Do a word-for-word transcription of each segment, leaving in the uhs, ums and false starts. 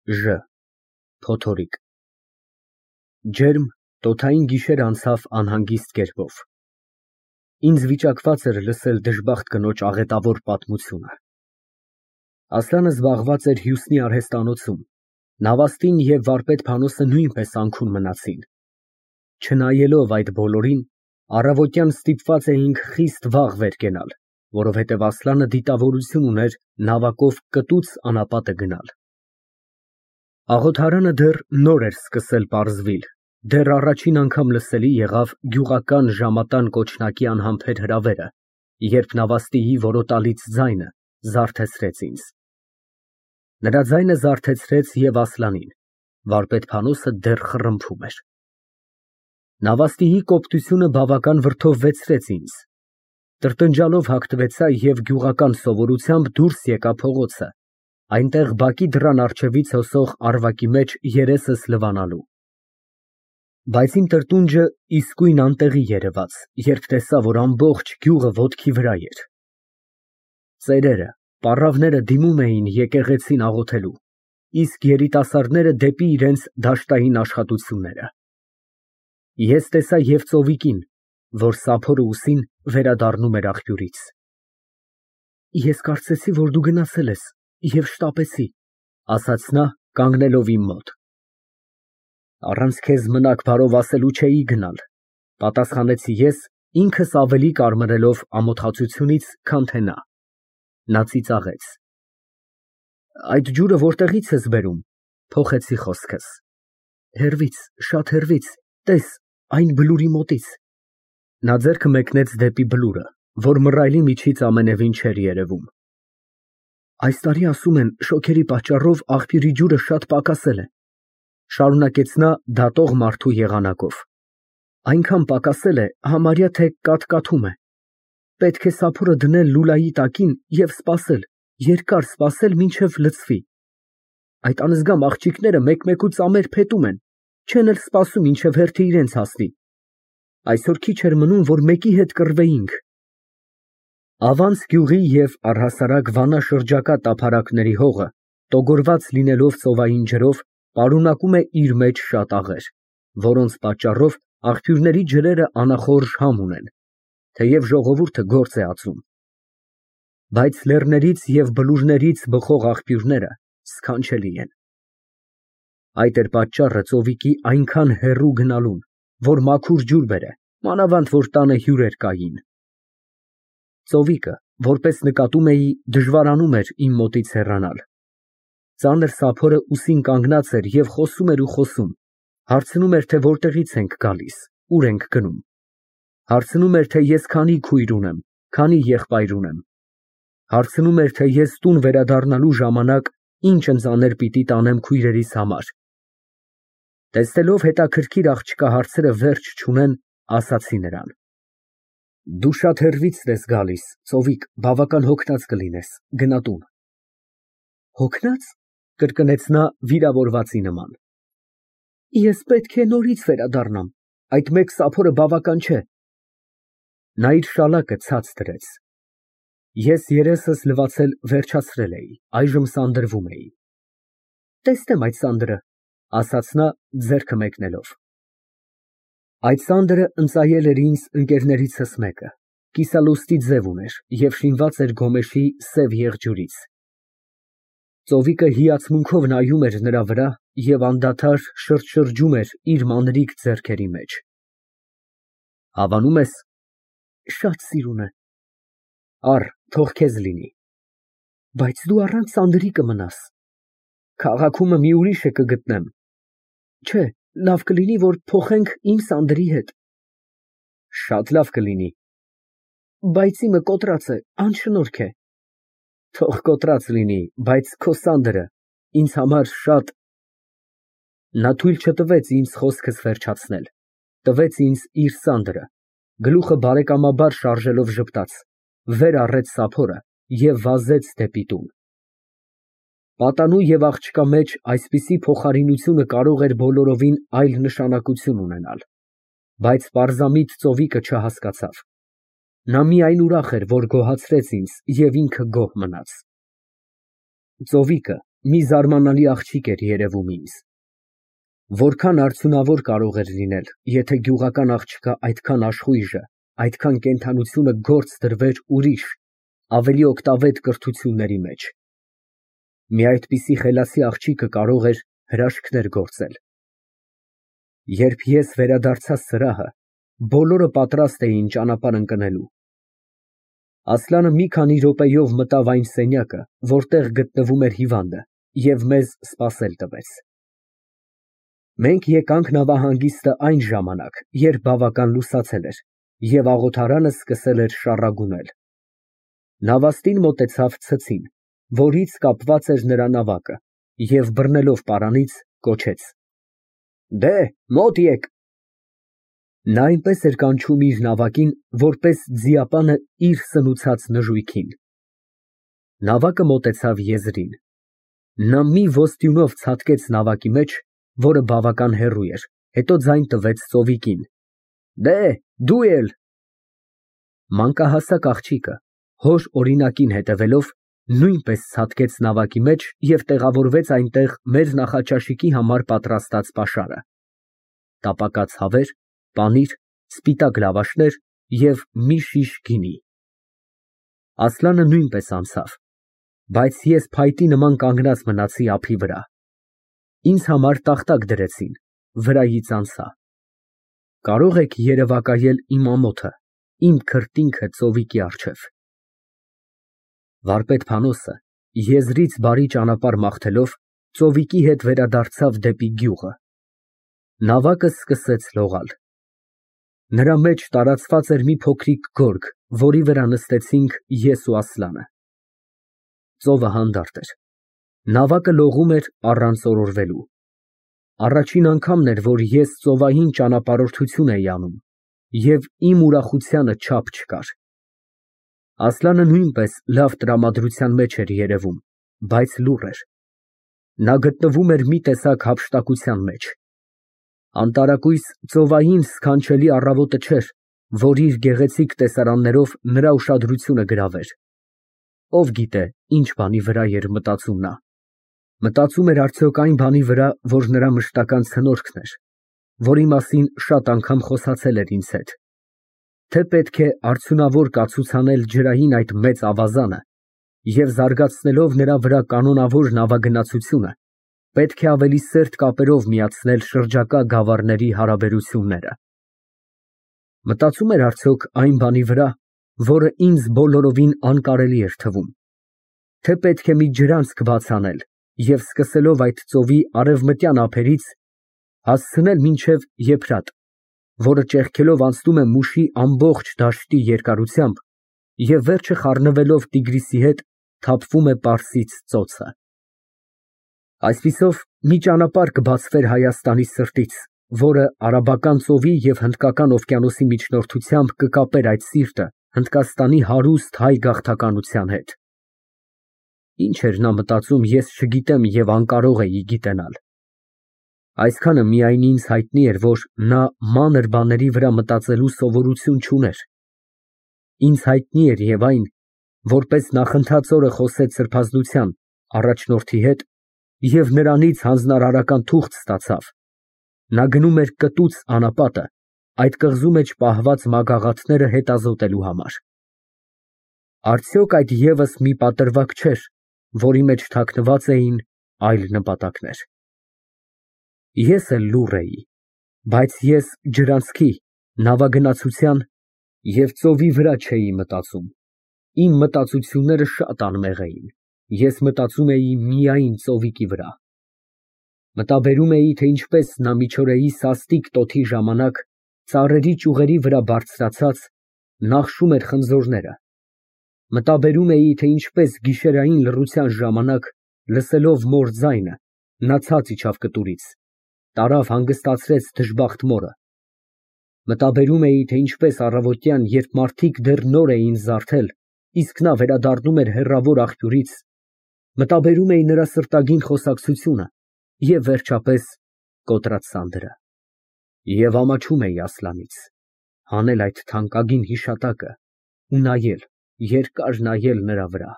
Ժ Փոթորիկ Ջերմ, տոթային գիշեր անցավ անհանգիստ կերպով։ Ինձ վիճակված էր լսել դժբախտ կնոջ աղետավոր պատմությունը։ Ասլանը զբաղված էր Հյուսնի արհեստանոցում, Նավաստին և վարպետ Փանոսը նույնպես անքուն մնացին։ Չնայելով այդ բոլորին, առավոտյան ստիպված էինք խիստ վաղ վեր կենալ, որովհետև Ասլանը դիտավորություն ուներ նավակով կտուց անապատը գնալ։ Աղոթարանը դեռ նոր էր սկսել պարզվել, դեռ առաջին անգամ լսելի եղավ գյուղական ժամատան կոչնակի անհամբեր հրավերը, երբ Նավաստիի որոտալից ձայնը զարթեցրեց ինձ։ Նրա ձայնը զարթեցրեց և Ասլանին, վարպետ Փանոսը դեռ խռմփում էր։ Նավաստիի կոպտությունը բավական վրդովվեցրեց ինձ։ Տրտնջալով հագնվեցա և գյուղական սովորությամբ դուրս եկա փողոցը, այնտեղ բակի դռան առջևից հոսող առվակի մեջ երեսս լվանալու։ Բայց իմ տրտունջը իսկույն անտեղի երևաց, երբ տեսա, որ ամբողջ գյուղը ոտքի վրա էր։ Ծերերը, պառավները դիմում էին եկեղեցին աղոթելու, իսկ երիտասարդները դեպի իրենց դաշտային աշխատությունները։ Ես տեսա և ծովիկին, որ սափորը ուսին վերադառնում էր աղբյուրից։ Ես կարծեցի, որ դու գնացել ես և շտապեցի, ասաց նա, կանգնելով իմ մոտ։ Առանց քեզ մնաք բարով ասելու չէի գնալ, պատասխանեցի ես, ինքս ավելի կարմրելով ամոթացությունից, քան թե նա։ Նա ծիծաղեց։ Այդ ջուրը որտեղի՞ց ես բերում, փոխեցի խոսքս։ Հեռվից, շատ հեռվից, տես, այն բլուրի մոտից։ Նա ձեռքը մեկնեց դեպի բլուրը, որ մռայլի միջից ամենևին չէր երևում։ Այս տարի ասում են, շոգերի պատճառով աղբյուրի ջուրը շատ պակասել է, շարունակեց նա դատող մարդու եղանակով։ Այնքան պակասել է, համարյա թե կաթկաթում է։ Պետք է սափորը դնել լուլայի տակին և սպասել, երկար սպասել, մինչև լցվի։ Այդ անզգամ աղջիկները մեկ֊մեկու ծամեր փետում են, չեն էլ սպասում, մինչև հերթը իրենց հասնի։ Այսօր քիչ էր մնում, որ մեկի հետ կռվեինք։ Ավանց գյուղի և առհասարակ Վանա շրջակա տափարակների հողը, տոգորված լինելով ծովային ջրով, պարունակում է իր մեջ շատ աղեր, որոնց պատճառով աղբյուրների ջրերը անախորժ համ ունեն, թեև ժողովուրդը գործ է ածում։ Բայց լեռներից և բլուրներից բխող աղբյուրները սքանչելի են։ Այդ էր պատճառը ծովիկի այնքան հեռու գնալուն, որ մաքուր ջուր բերե, մանավանդ որ տանը հյուրեր կային։ Ծովիկը, որպես նկատում էի, դժվարանում էր իմ մոտից հեռանալ։ Ծանր սափորը ուսին կանգնած էր և խոսում էր ու խոսում, հարցնում էր, թե որտեղից ենք գալիս, ուր ենք գնում։ Հարցնում էր, թե ես քանի քույր ունեմ, քանի եղբայր ունեմ։ Հարցնում էր, թե ես տուն վերադառնալու ժամանակ ինչ ընծաներ պիտի տանեմ քույրերիս համար։ Տեսնելով հետաքրքիր աղջկա հարցերը վերջ չունեն, ասացի նրան. Դու շատ հեռվից ես գալիս, ծովիկ, բավական հոգնած կլինես, գնա տուն։ Հոգնա՞ծ, կրկնեց նա վիրավորվածի նման։ Ես պետք է նորից վերադառնամ, այդ մեկ սափորը բավական չէ։ Նա իր շալակը ցած դրեց։ Ես երեսս լվացել վերջացրել էի, այժմ սանդրվում էի։ Տեսնեմ այդ սանդրը, ասաց նա, ձեռքը մեկնելով։ Այդ սանդրը ընծայել էր ինձ ընկերներիցս մեկը, կիսալոստի ձև ուներ և շինված էր գոմեշի սև եղջյուրից։ Ծովիկը հիացմունքով նայում էր նրա վրա և անդադար շրջշրջում էր իր մանրիկ ձեռքերի մեջ։ Հավանու՞մ ես։ Շատ սիրուն է։ Առ, թող քեզ լինի։ Բայց դու առանց սանդրի կմնաս։ Քաղաքումը մի ուրիշը կգտնեմ։ Չէ, լավ կլինի, որ փոխենք իմ սանդրի հետ։ Շատ լավ կլինի։ Բայց իմը կոտրած է, անշնորհք է։ Թող կոտրած լինի, բայց քո սանդրը ինձ համար շատ… Նա թույլ չտվեց ինձ խոսքս վերջացնել, տվեց ինձ իր սանդրը, գլուխը բարեկամաբար շարժելով ժպտաց, վեր առեց սափորը և վազեց դեպի տուն։ Պատանու և աղջկա մեջ այսպիսի փոխարինությունը կարող էր բոլորովին այլ նշանակություն ունենալ, բայց պարզամիտ ծովիկը չհասկացավ։ Նա միայն ուրախ էր, որ գոհացրեց ինձ և ինքը գոհ մնաց։ Ծովիկը, մի զարմանալի աղջիկ էր երևում ինձ։ Որքան արդյունավոր կարող էր լինել, եթե գյուղական աղջկա այդքան աշխույժը, այդքան կենդանությունը գործ դրվեր ուրիշ, ավելի օգտավետ կրթությունների մեջ։ Մի այդպիսի խելացի աղջիկը կարող էր հրաշքներ գործել։ Երբ ես վերադարձա սրահը, բոլորը պատրաստ էին ճանապարհ ընկնելու։ Ասլանը մի քանի րոպեով մտավ այն սենյակը, որտեղ գտնվում էր հիվանդը, և մեզ սպասել տվեց։ Մենք եկանք նավահանգիստը այն ժամանակ, երբ բավական լուսացել էր, և աղոթարանը սկսել էր շառագունել։ Նավաստին մոտեցավ ցցին, որից կապված էր նրա նավակը, և բռնելով պարանից, կոչեց. «Դե, մոտ եկ»։ Նա այնպես էր կանչում իր նավակին, որպես ձիապանը իր սնուցած նժույգին։ Նավակը մոտեցավ եզրին։ Նա մի ոստյունով ցատկեց նավակի մեջ, որը բավական հեռու էր, հետո ձայն տվեց ծովիկին. «Դե, դու էլ»։ Մանկահասակ աղջիկը, հոր օրինակին հետևելով, նույնպես ցատկեց նավակի մեջ և տեղավորվեց այնտեղ մեր նախաճաշիկի համար պատրաստած պաշարը։ Տապակած հավեր, պանիր, սպիտակ լավաշներ և մի շիշ գինի։ Ասլանը նույնպես անցավ, բայց ես փայտի նման կանգնած մնացի ափի վրա։ Ինձ համար տախտակ դրեցին, վրայից անցա։ Կարո՞ղ եք երևակայել իմ ամոթը, իմ քրտինքը ծովիկի առջև։ Վարպետ Փանոսը, եզրից բարի ճանապարհ մաղթելով, ծովիկի հետ վերադարձավ դեպի գյուղը։ Նավակը սկսեց լողալ։ Նրա մեջ տարածված էր մի փոքրիկ գորգ, որի վրա նստեցինք ես ու Ասլանը։ Ծովը հանդարտ էր։ Նավակը լողում էր առանց օրորվելու։ Առաջին անգամն էր, որ ես ծովային ճանապարհորդություն էի անում, և իմ ուրախությանը չափ չկար։ Ասլանը նույնպես լավ տրամադրության մեջ էր երևում, բայց լուռ էր։ Նա գտնվում էր մի տեսակ հափշտակության մեջ։ Անտարակույս ծովային սքանչելի առավոտը չէր, որ իր գեղեցիկ տեսարաններով նրա ուշադրությունը գրավեր։ Ով գիտե, ինչ բանի վրա էր մտածում նա։ Մտածում էր արդյոք այն բանի վրա, որ նրա մշտական ցնորքն էր, որի մասին շատ անգամ խոսացել էր ինձ հետ, թե պետք է արդյունավոր կացուցանել ջրային այդ մեծ ավազանը և զարգացնելով նրա վրա կանոնավոր նավագնացությունը, պետք է ավելի սերտ կապերով միացնել շրջակա գավառների հարաբերությունները։ Մտածում էր արդյոք այն բանի վրա, որը ինձ բոլորովին անկարելի էր թվում, թե պետք է մի ջրանցք բաց անել և սկսելով այդ ծովի արևմտյան ափերից հասցնել մինչև Եփրատ, որը ճեղքելով անցնում է Մուշի ամբողջ դաշտի երկարությամբ և վերջը խառնվելով Տիգրիսի հետ թափվում է Պարսից ծոցը։ Այսպիսով մի ճանապարհ կբացվեր Հայաստանի սրտից, որը Արաբական ծովի և Հնդկական օվկիանոսի միջնորդությամբ կկապեր այդ սիրտը Հնդկաստանի հարուստ հայ գաղթականության հետ։ Ինչ էր նա մտածում, ես չգիտեմ և անկարող էի գիտենալ։ Այսքանը միայն ինձ հայտնի էր, որ նա մանր բաների վրա մտածելու սովորություն չուներ։ Ինձ հայտնի էր և այն, որպես նախընթաց օրը խոսեց սրբազնության առաջնորդի հետ և նրանից հանձնարարական թուղթ ստացավ, նա գնում էր կտուց անապատը այդ կղզու մեջ պահված մագաղաթները հետազոտելու համար։ Արդյոք այդ ևս մի պատրվակ չէր, որի մեջ թաքնված էին այլ նպատակներ։ Ես էլ լուռ էի, բայց ես ջրանցքի, նավագնացության և ծովի վրա չէի մտածում, իմ մտածությունները շատ անմեղ էին, ես մտածում էի միայն ծովիկի վրա։ Մտաբերում էի, թե ինչպես նա միջօրեի սաստիկ տոթի ժամանակ ծառերի ճյուղերի վրա բարձրացած նախշում էր խնձորները։ Մտաբերում էի, թե ինչպես գիշերային լռության ժամանակ, լսելով մոր ձայնը, նա ցած իջավ կտուրից, տարավ հանգստացրեց դժբախտ մորը։ Մտաբերում էի, թե ինչպես առավոտյան, երբ մարդիկ դեռ նոր էին զարթել, իսկ նա վերադառնում էր հեռավոր աղբյուրից, մտաբերում էի նրա սրտագին խոսակցությունը և վերջապես կոտրած սանդրը։ Եվ ամաչում էի Ասլանից, հանել այդ թանկագին հիշատակը ու նայել, երկար նայել նրա վրա։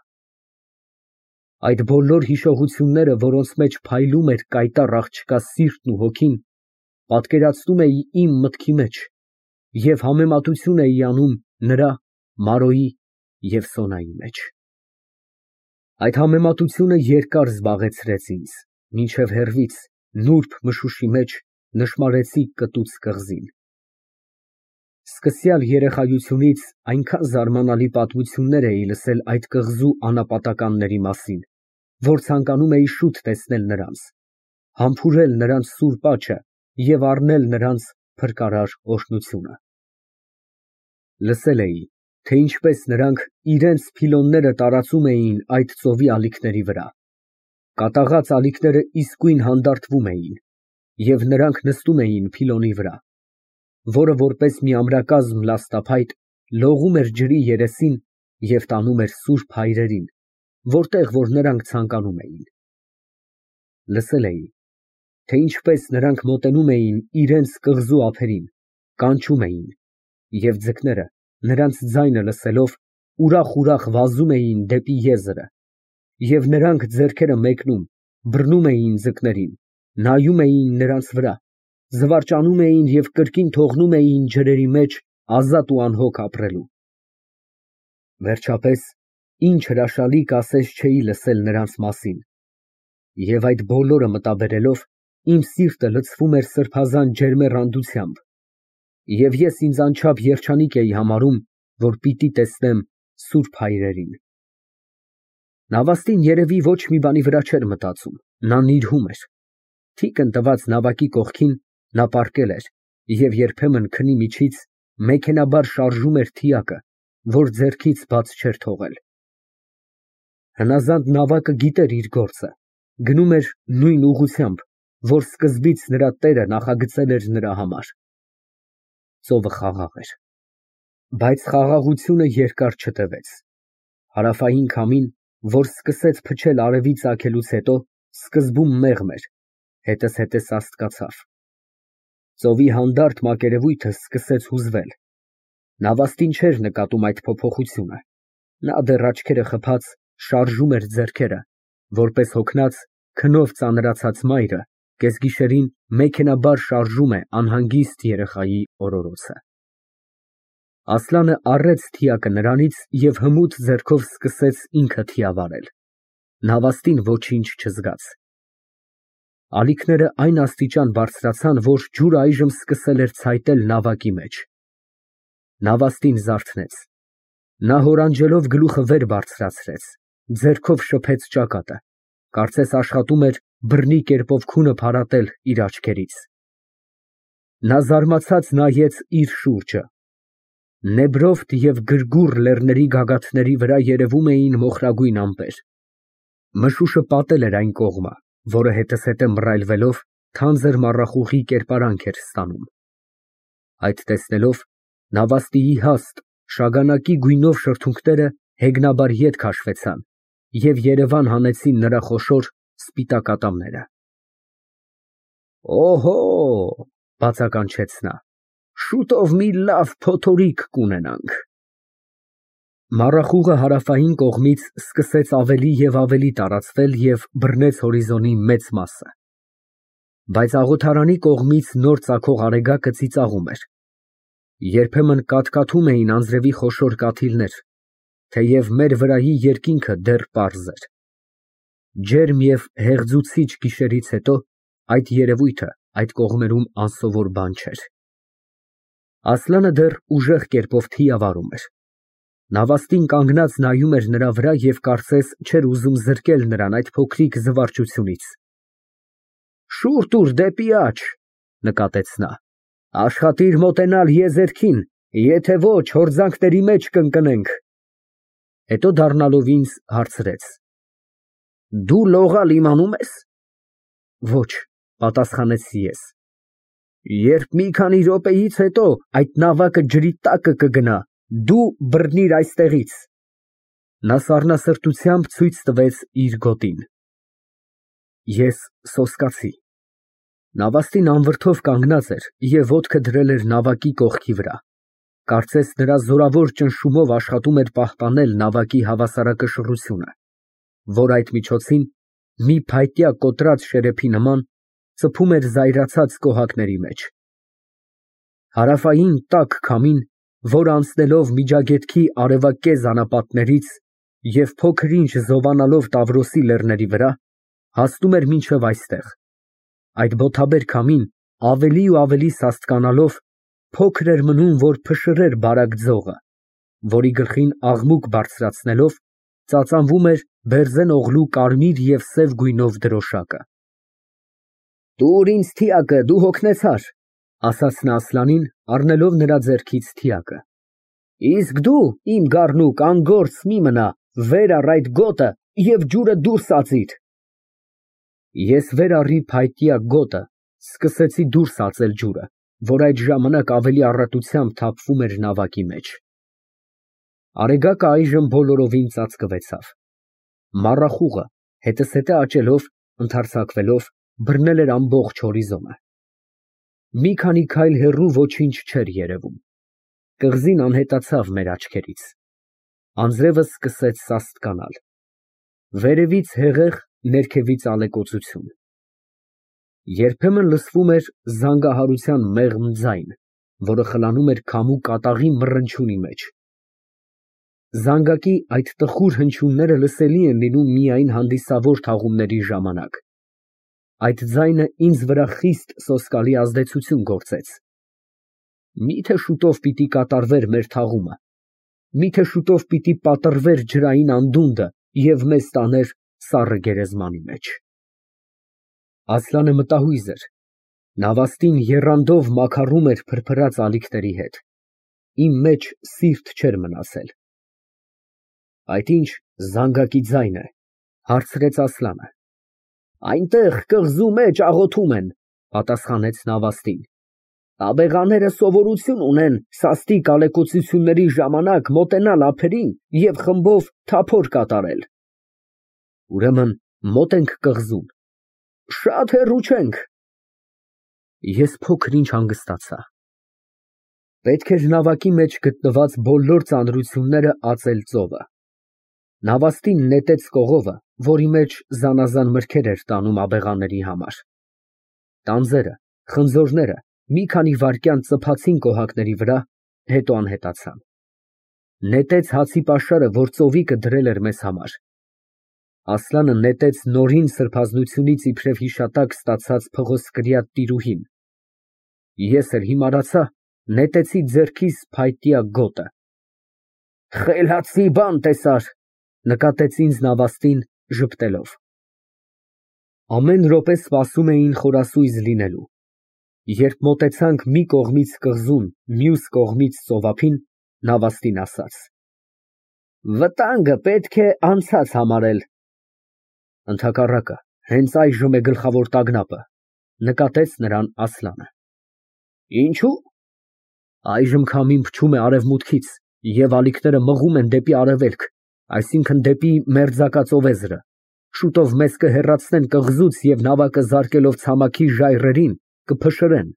Այդ բոլոր հիշողությունները, որոնց մեջ փայլում էր կայտառ աղջկա սիրտն ու հոգին, պատկերացնում էի իմ մտքի մեջ և համեմատություն էի անում նրա, Մարոյի և Սոնայի մեջ։ Այդ համեմատությունը երկար զբաղեցրեց ինձ, մինչև հեռվից, նուրբ մշուշի մեջ, նշմարեցի կտուց կղզին։ Սկսյալ երեխայությունից այնքան զարմանալի պատմություններ էի լսել այդ կղզու անապատականների մասին, որ ցանկանում էի շուտ տեսնել նրանց, համբուրել նրանց սուրբ աճը և առնել նրանց փրկարար օրհնությունը։ Լսել էի, թե ինչպես նրանք իրենց փիլոնները տարածում էին այդ ծովի ալիքների վրա, կատաղած ալիքները իսկույն հանդարտվում էին, և նրանք նստում էին փիլոնի վրա, որը որպես մի ամրակազմ լաստափայտ լողում էր ջրի երեսին և տանում էր սուրբ հայրերին, որտեղ որ նրանք ցանկանում էին։ Լսել էի, թե ինչպես նրանք մոտենում էին իրենց կղզու ափերին, կանչում էին, և ձկները, նրանց ձայնը լսելով, ուրախ֊ուրախ վազում էին դեպի եզրը, և նրանք ձեռքերը մեկնում, բռնում էին ձկներին, նայում էին նրանց վրա, զվարճանում էին և կրկին թողնում էին ջրերի մեջ ազատ ու անհոգ ապրելու։ Վերջապես, ինչ հրաշալի կասես չէի լսել նրանց մասին, և այդ բոլորը մտաբերելով, իմ սիրտը լցվում էր սրբազան ջերմեռանդությամբ, և ես ինձ անչափ երջանիկ էի համարում, որ պիտի տեսնեմ սուրբ հայրերին։ Նավաստին երևի ոչ մի բանի վրա չէր մտածում, նա նիրհում էր։ Թիկն տված նավակի կողքին նա պառկել էր և երբեմն քնի միջից մեքենայաբար շարժում էր թիակը, որ ձեռքից բաց չէր թողել։ Հնազանդ նավակը գիտեր իր գործը, գնում էր նույն ուղղությամբ, որ սկզբից նրա տերը նախագծել էր նրա համար։ Ծովը խաղաղ էր, բայց խաղաղությունը երկար չտևեց։ Հարավային քամին, որ սկսեց փչել արևի ծագելուց հետո, սկզբում մեղմ էր, հետզհետե սաստկացավ։ Ծովի հանդարտ մակերևույթը սկսեց հուզվել։ Նավաստին չէր նկատում այդ փոփոխությունը, նա դեռ աչքերը խփած շարժում էր ձեռքերը, որպես հոգնած, քնով ծանրացած մայրը կեսգիշերին մեքենայաբար շարժում է անհանգիստ երեխայի օրորոցը։ Ասլանը առեց թիակը նրանից և հմուտ ձեռքով սկսեց ինքը թիավարել, նավաստին ոչինչ չզգաց։ Ալիքները այն աստիճան բարձրացան, որ ջուրը այժմ սկսել էր ցայտել նավակի մեջ։ Նավաստին զարթնեց։ Նա հորանջելով գլուխը վեր բարձրացրեց, ձեռքով շփեց ճակատը, կարծես աշխատում էր բռնի կերպով քունը փարատել իր աչքերից։ Նա զարմացած նայեց իր շուրջը։ Նեբրովտ և Գրգուռ լեռների գագաթների վրա երևում էին մոխրագույն ամպեր։ Մշուշը պատել էր այն կողմը, որը հետզհետե մռայլվելով, թանձր մառախուղի կերպարանք էր ստանում։ Այդ տեսնելով, նավաստիի հաստ, շագանակի գույնով շրթունքները հեգնաբար ետ քաշվեցան և երևան հանեցին նրա խոշոր, սպիտակ ատամները։ «Օհո, օ», բացականչեց նա, «շուտով մի լավ փոթորիկ կունենանք»։ Մառախուղը հարավային կողմից սկսեց ավելի և ավելի տարածվել և բռնեց հորիզոնի մեծ մասը։ Բայց աղոթարանի կողմից նոր ծագող արեգակը ծիծաղում էր։ Երբեմն կաթկաթում էին անձրևի խոշոր կաթիլներ, թեև մեր վրայի երկինքը դեռ պարզ էր։ Ջերմ և հեղձուցիչ գիշերից հետո այդ երևույթը այդ կողմերում անսովոր բան չէր։ Ասլանը դեռ ուժեղ կերպով թիավարում էր։ Նավաստին կանգնած նայում էր նրա վրա և կարծես չէր ուզում զրկել նրան այդ փոքրիկ զվարճությունից։ «Շուռ տուր դեպի աջ», նկատեց նա, «աշխատիր մոտենալ եզերքին, եթե ոչ հորձանքների մեջ կընկնենք»։ Հետո դառնալով ինձ, հարցրեց. «Դու լողալ իմանում ես»։ «Ոչ», պատասխանեցի ես։ «Երբ մի քանի րոպեից հետո այդ նավակը ջրի տակը կգնա, դու բռնիր այստեղից»։ Նա սառնասրտությամբ ցույց տվեց իր գոտին։ Ես սոսկացի։ Նավաստին անվրդով կանգնած էր և ոտքը դրել էր նավակի կողքի վրա, կարծես նրա զորավոր ճնշումով աշխատում էր պահպանել նավակի հավասարակշռությունը։ որ այդ միջոցին մի փայտյա կոտրած շերեփի նման ծփում էր զայրացած կոհակների մեջ։ Հարավային տաք քամին, որ անցնելով Միջագետքի արևակեզ անապատներից և փոքր-ինչ զովանալով Տավրոսի լեռների վրա, հասնում էր մինչև այստեղ։ Այդ բոթաբեր քամին ավելի ու ավելի սաստկանալով, փոքր էր մնում, որ փշրեր բարակ ձողը, որի գլխին աղմուկ բարձրացնելով, ծածանվում էր բերձեն օղլու կարմիր և սև գույնով դրոշակը։ «Տուր ինձ թիակը, դու հոգնեցար», ֊ ասաց նա Ասլանին, առնելով նրա ձեռքից թիակը։ «Իսկ դու, իմ գառնուկ, անգործ մի մնա, վեր առ այդ գոտը և ջուրը դուրս ածիր»։ Ես վեր առի փայտյա գոտը, սկսեցի դուրս ածել ջուրը, որ այդ ժամանակ ավելի առատությամբ թափվում էր նավակի մեջ։ Արեգակը այժմ բոլորովին ծածկվեցավ։ Մառախուղը, հետզհետե աճելով, ընդարձակվելով, բռնել էր ամբողջ հորիզոնը։ Մի քանի քայլ հեռու ոչինչ չէր երևում։ Կղզին անհետացավ մեր աչքերից։ Անձրևը սկսեց սաստկանալ։ Վերևից հեղեղ, ներքևից ալեկոծություն։ Երբեմն լսվում էր զանգահարության մեղմ ձայն, որը խլանում էր քամու կատաղի մռնչյունի մեջ։ Զանգակի այդ տխուր հնչյունները լսելի են լինում միայն հանդիսավոր թաղումների ժամանակ։ Այդ ձայնը ինձ վրա խիստ սոսկալի ազդեցություն գործեց։ Մի՞թե շուտով պիտի կատարվեր մեր թաղումը, մի՞թե շուտով պիտի պատռվեր ջրային անդունդը և մեզ տաներ սառը գերեզմանի մեջ։ Ասլանը մտահույզ էր։ Նավաստին եռանդով մաքարում էր փրփրած ալիքների հետ։ Իմ մեջ սիրտ չէր մնացել։ Այդ ի՞նչ զանգակի ձայն է, ֊ հարցրեց Ասլանը։ Այնտեղ կղզու մեջ աղոթում են, ֊ պատասխանեց նավաստին։ Աբեղաները սովորություն ունեն սաստիկ ալեկոծությունների ժամանակ մոտենալ ափերին և խմբով թափոր կատարել։ Ուրեմն մոտ ենք կղզուն։ Շատ հեռու չենք։ Ես փոքր-ինչ հանգստացա։ Պետք էր նավակի մեջ գտնված բոլոր ծանրությունները ածել ծովը։ Նավաստին նետեց կողովը, որի մեջ զանազան մրգեր էր տանում աբեղաների համար։ Տանձերը, խնձորները մի քանի վայրկյան ծփացին կոհակների վրա, հետո անհետացան։ Նետեց հացի պաշարը, որ ծովիկը դրել էր մեզ համար։ Ասլանը նետեց նորին սրբազնությունից իբրև հիշատակ ստացած փղոսկրյա տիրուհին։ Ես էլ հիմարացա, նետեցի ձեռքիս փայտյա գոտը։ Խելացի բան տեսար, ֊ նկատեց ինձ նավաստին, ժպտելով։ Ամեն րոպե սպասում էին խորասույզ լինելու։ Երբ մոտեցանք մի կողմից կղզուն, մյուս կողմից ծովափին, նավաստին ասաց. Վտանգը պետք է անցած համարել։ Ընդհակառակը, հենց այժմ է գլխավոր տագնապը, ֊ նկատեց նրան Ասլանը։ Ինչու՞։ Այժմ քամին փչում է արևմուտքից և ալիքները մղում են դեպի արևելք, այսինքն դեպի մերձակա ծովեզրը, շուտով մեզ կհեռացնեն կղզուց և նավակը զարկելով ցամաքի ժայռերին, կփշրեն։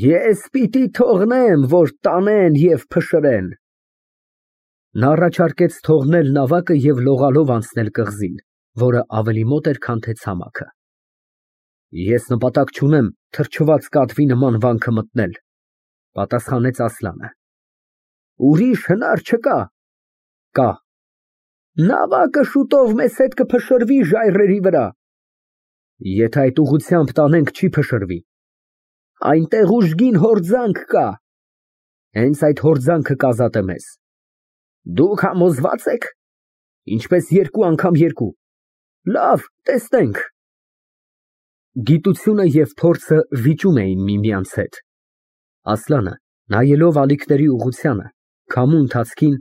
Ես պիտի թողնեմ, որ տանեն և փշրեն։ Նա առաջարկեց թողնել նավակը և լողալով անցնել կղզին, որը ավելի մոտ էր, քան թե ցամաքը։ Ես նպատակ չունեմ թրջված կատվի նման վանքը մտնել, ֊ պատասխանեց Ասլանը։ Ուրիշ հնար չկա։ Կա։ Նավակը շուտով մեզ հետ կփշրվի ժայռերի վրա։ Եթե այդ ուղղությամբ տանենք, չի փշրվի։ Այնտեղ ուժգին հորձանք կա։ Հենց այդ հորձանքը կազատե մեզ։ Դուք համոզվա՞ծ եք։ Ինչպես երկու անգամ երկու։ Լավ, տեսնենք։ Գիտությունը և փորձը վիճում էին միմյանց հետ։ Ասլանը, նայելով ալիքների ուղղությանը, քամու ընթացքին,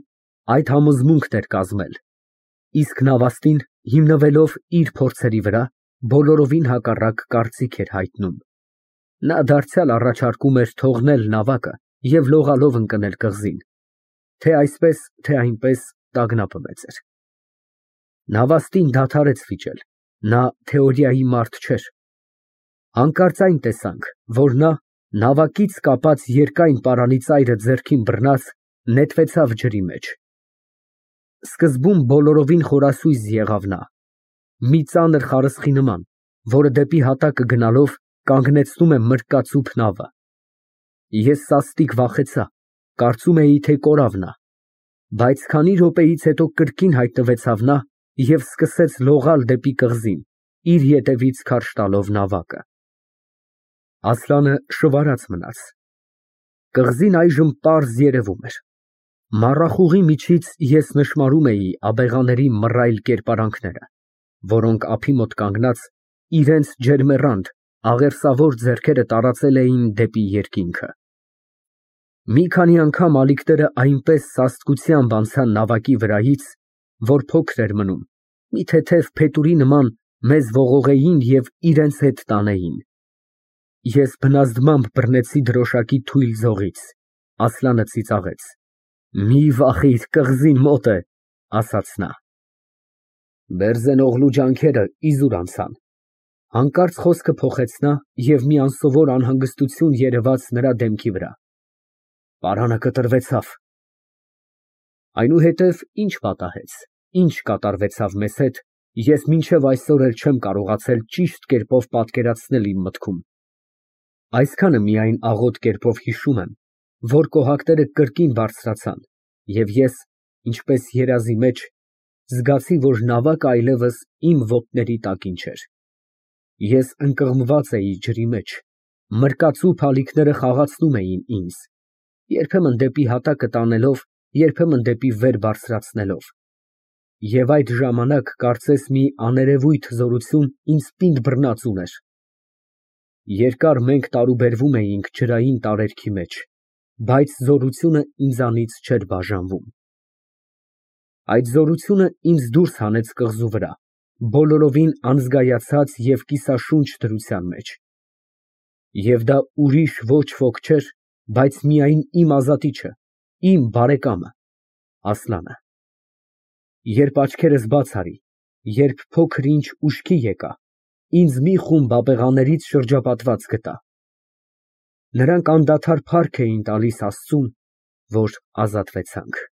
այդ համոզմունքն էր կազմել, իսկ նավաստին, հիմնվելով իր փորձերի վրա, բոլորովին հակառակ կարծիք էր հայտնում։ Նա դարձյալ առաջարկում էր թողնել նավակը և լողալով ընկնել կղզին, թե այսպես, թե այնպես տագնապը մեծ էր։ Նավաստին դադարեց վիճել, նա թեորիայի մարդ չէր։ Հանկարծ այն տեսանք, որ նա, նավակից կապած երկայն պարանի ծայրը ձեռքին բռնած, նետվեցավ ջրի մեջ։ Սկզբում բոլորովին խորասույզ եղավ նա, մի ծանր խարսխի նման, որը դեպի հատակը գնալով կանգնեցնում է մրկածուփ նավը։ Ես սաստիկ վախեցա, կարծում էի, թե կորավ նա, բայց քանի րոպեից հետո կրկին հայտնվեցավ նա և սկսեց լողալ դեպի կղզին, իր ետևից քարշ տալով նավակը։ Ասլանը շվարած մնաց։ Կղզին այժմ պարզ երևում էր։ Մառախուղի միջից ես նշմարում էի աբեղաների մռայլ կերպարանքները, որոնք ափի մոտ կանգնած, իրենց ջերմեռանդ, աղերսավոր ձեռքերը տարածել էին դեպի երկինքը։ Մի քանի անգամ ալիքները այնպես սաստկությամբ անցան նավակի վրայից, որ փոքր էր մնում, մի թեթև փետուրի նման մեզ ողողեին և իրենց հետ տանեին։ Ես բնազդմամբ բռնեցի դրոշակի թույլ ձողից, Ասլանը ծիծաղեց։ Մի վախիր, կղզին մոտ է, ասաց նա։ Բերձենօղլու ջանքերը իզուր անցան։ Հանկարծ խոսքը փոխեց նա և մի անսովոր անհանգստություն երևաց նրա դեմքի վրա։ Պարանը կտրվեցավ։ Այնուհետև ինչ պատահեց, ինչ կատարվեցավ մեզ հետ, ես մինչև այսօր էլ չեմ կարողացել ճիշտ կերպով պատկերացնել իմ մտքում։ Այսքանը միայն աղոտ կերպով հիշում եմ, որ կոհակները կրկին բարձրացան, և ես, ինչպես երազի մեջ, զգացի, որ նավակը այլևս իմ ոտների տակին չէր։ Ես ընկղմված էի ջրի մեջ, մրկածուփ ալիքները խաղացնում էին ինձ, երբեմն դեպի հատակը տանելով, երբեմն դեպի վեր բարձրացնելով։ Եվ այդ ժամանակ կարծես մի աներևույթ զորություն ինձ պինդ բռնած ուներ։ Երկար մենք տարուբերվում էինք ջրային տարերքի մեջ, բայց զորությունը ինձանից չէր բաժանվում։ Այդ զորությունը ինձ դուրս հանեց կղզու վրա, բոլորովին անզգայացած և կիսաշունչ դրության մեջ։ Եվ դա ուրիշ ոչ ոք չէր, բայց միայն իմ ազատիչը, իմ բարեկամը, Ասլանը։ Երբ աչքերս բաց արի, երբ փոքր ինչ ուշքի եկա, ինձ մի խումբ աբեղաներից շրջապատված գտա։ Նրանք անդադար փառք էին տալիս Աստծուն, որ ազատվեցանք։